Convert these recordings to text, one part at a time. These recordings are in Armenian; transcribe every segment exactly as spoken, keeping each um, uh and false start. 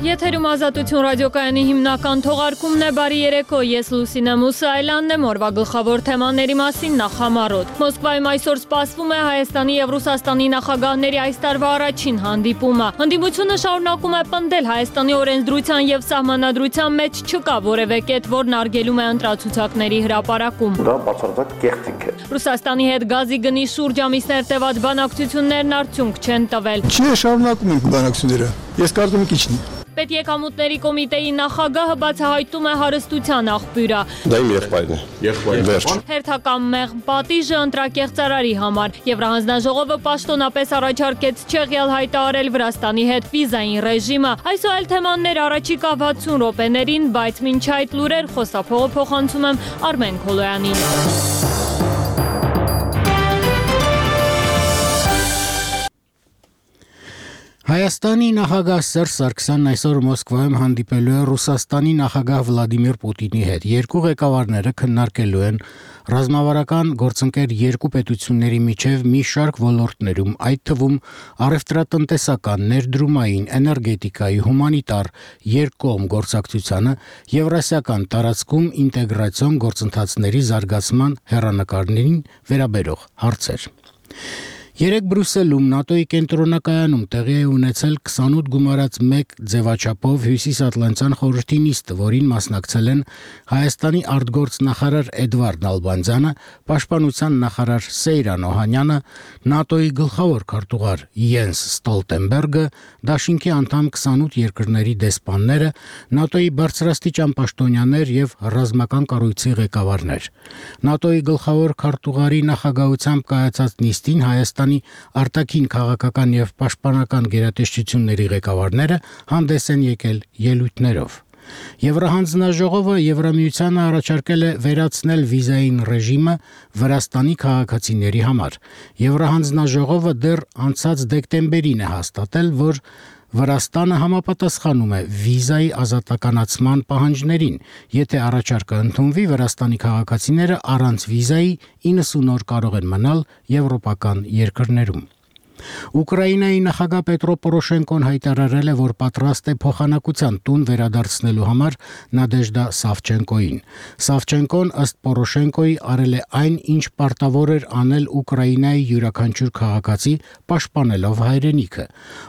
Եթերում Ազատություն ռադիոկայանի հիմնական թողարկումն է, բարի երեկո, ես Լուսինե Մուսայելյանն եմ, օրվա գլխավոր թեմաների մասին նախամարոտ։ Մոսկվայում այսօր սպասվում է Հայաստանի և Ռուսաստանի նախագահների այս տարվա առաջին հանդիպումը։ Հանդիպությունը շարունակում է պնդել Հայաստանի օրենսդրության և սահմանադրության մեջ չկա որևէ կետ, որն արգելում է ընտրացուցակների հրապարակում։ Դա բացարձակ կեղծիք է։ Ռուսաստանի հետ գազի գնի շուրջ ամիսներ տևած բանակցություններն արդյունք չեն տվել։ Չէ, շարունակում ենք բանակցությունները։ Ես կարծում եմ իջնի։ Պետեկամուտների կոմիտեի նախագահը բացահայտում է հարստության աղբյուրը։ Դա իմ եղբայրն է։ Եղբայրն է։ Հերթական մեղմ պատիժը ընտրակեղծարարի համար։ Եվրահանձնաժողովը պաշտոնապես առաջարկեց չեղյալ հայտարարել Վրաստանի հետ վիզային ռեժիմը։ Այս ու այլ թեմաներ առաջիկա վաթսուն րոպեներին, բայց մինչ այդ լուրեր խոսափողը փոխանցում եմ Արմեն Քոլոյանին։ Հայաստանի նախագահ Սերժ Սարգսյանն այսօր Մոսկվայում հանդիպելու է Ռուսաստանի նախագահ Վլադիմիր Պուտինի հետ։ Երկու ղեկավարները քննարկելու են ռազմավարական գործընկեր երկու պետությունների միջև մի շարք ոլորտներում, այդ թվում առևտրատնտեսական, ներդրումային, էներգետիկայի, հումանիտար, երկկողմ գործակցությանը, եվրասիական տարածքում ինտեգրացիոն գործընթացների զարգացման հեռանկարներին վերաբերող հարցեր։ Երեկ Բրյուսելում ՆԱՏՕ-ի կենտրոնակայանում տեղի է ունեցել քսանութ գումարած մեկ ձևաչափով Հյուսիսատլանտյան խորհրդի նիստը, որին մասնակցել են Հայաստանի արտգործնախարար Էդվարդ Նալբանդյանը, Պաշտպանության նախարար Սեյրան Օհանյանը, ՆԱՏՕ-ի գլխավոր քարտուղար Յենս Ստոլտենբերգը, Դաշինքի անդամ քսանութ երկրների դեսպանները, ՆԱՏՕ-ի բարձրաստիճան պաշտոնյաներ եւ ռազմական կառույցի ղեկավարներ։ ՆԱՏՕ-ի գլխավոր քարտուղարի նախագահությամբ կայացած նիստին Հայաստանի արտաքին քաղաքական եւ պաշտպանական գերատեսչությունների ղեկավարները հանդես են եկել ելույթներով։ Եվրահանձնաժողովը Եվրամիությանը առաջարկել է վերացնել վիզային ռեժիմը Վրաստանի քաղաքացիների համար։ Եվրահանձնաժողովը դեռ անցած դեկտեմբերին է հաստատել, որ Վրաստանը համապատասխանում է վիզայի ազատականացման պահանջներին, եթե առաջարկը ընդունվի, Վրաստանի քաղաքացիները առանց վիզայի իննսուն օր կարող են մնալ եվրոպական երկրներում։ Ուկրաինայի նախագահ Պետրո Պորոշենկոն հայտարարել է, որ պատրաստ է փոխանակության տուն վերադարձնելու համար Նադեժդա Սավչենկոին։ Սավչենկոն ըստ Պորոշենկոյի արել է այն, ինչ պարտավոր էր անել Ուկրաինայի յուրաքանչյուր քաղաքացի, պաշտպանելով հայրենիքը։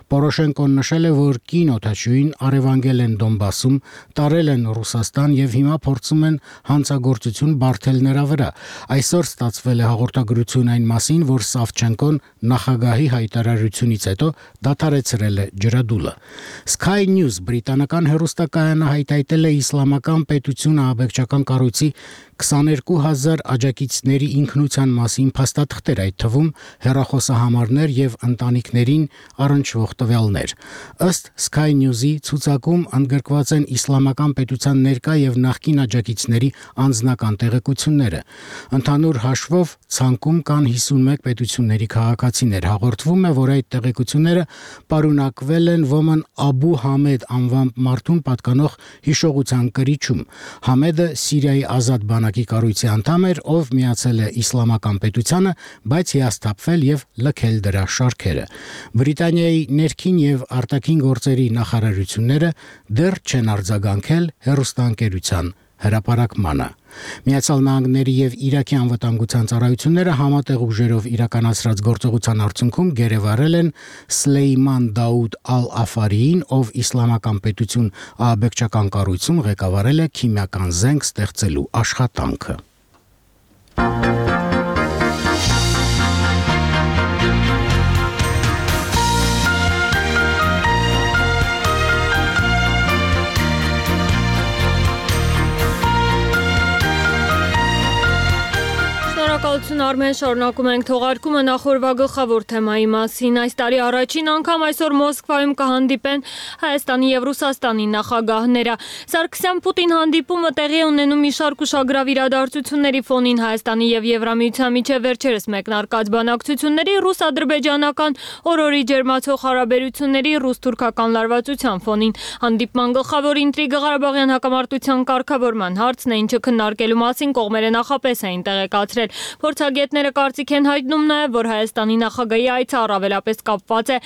Պորոշենկոն նշել է, որ կին օդաչուին առևանգել են Դոնբասում, տարել են Ռուսաստան եւ հիմա փորձում են հանցագործություն բարթել նրա վրա։ Այսօր ստացվել է հաղորդագրություն այն մասին, որ Սավչենկոն նախագահի հայտարարությունից հետո դադարեցրել է ջրադուլը։ Sky News բրիտանական հեռուստակայանը հայտարարել է իսլամական պետությունը ահաբեկչական կառույցի քսաներկու հազար աջակիցների ինքնության մասին փաստաթղթեր, այդ թվում հեռախոսահամարներ եւ ընտանիքներին առնչվող տվյալներ։ Ըստ Sky News-ի ցուցակում ընդգրկված են իսլամական պետության ներկա եւ նախկին աջակիցների անձնական տեղեկությունները։ Ընդհանուր հաշվով ցանկում կան հիսունմեկ պետությունների քաղաքացիներ։ Հաղորդվում է, որ այդ տեղեկությունները պարունակվել են ոմն Աբու Համեդ անվամբ մարդուն պատկանող հիշողության կրիչում։ Համեդը Սիրիայի ազատ բանակի կառույցի անդամ էր, ով միացել է իսլամական պետությանը, բայց հիասթափվել եւ լքել դրա շարքերը։ Բրիտանիայի ներքին եւ արտաքին գործերի նախարարությունները դեռ չեն արձագանքել հեռուստաընկերության հրապարակմանը։ Միացյալ Նահանգների եւ Իրաքի անվտանգության ծառայությունները համատեղ ուժերով իրականացրած գործողության արդյունքում գերեվարել են Սլեյման Դաուդ Ալ-Աֆարիին, ով իսլամական պետություն ահաբեկչական կառույցում ղեկավարել է քիմիական զենք ստեղծելու աշխատանքը։ Շնորհակալություն Արմեն, շարունակում ենք թողարկումը նախորդ գլխավոր թեմայի մասին։ Այս տարի առաջին անգամ այսօր Մոսկվայում կհանդիպեն Հայաստանի եւ Ռուսաստանի նախագահները։ Սարգսյան-Պուտին հանդիպումը տեղի ունենում մի շարք ուշագրավ իրադարձությունների ֆոնին Հայաստանի եւ Եվրամիության միջև վերջերս մեկնարկած բանակցությունների, ռուս-ադրբեջանական օրորի ջերմացող հարաբերությունների, ռուս-թուրքական լարվածության ֆոնին։ Հանդիպման գլխավոր ինտրիգը Ղարաբաղյան հակամարտության կարգավորման հարցն է, ինչը քննարկելու մասին կողմերը նախապես էին տեղեկացրել։ Փորձագետները կարծիք են հայտնում նաև, որ Հայաստանի նախագահի այցը առավելապես կապված է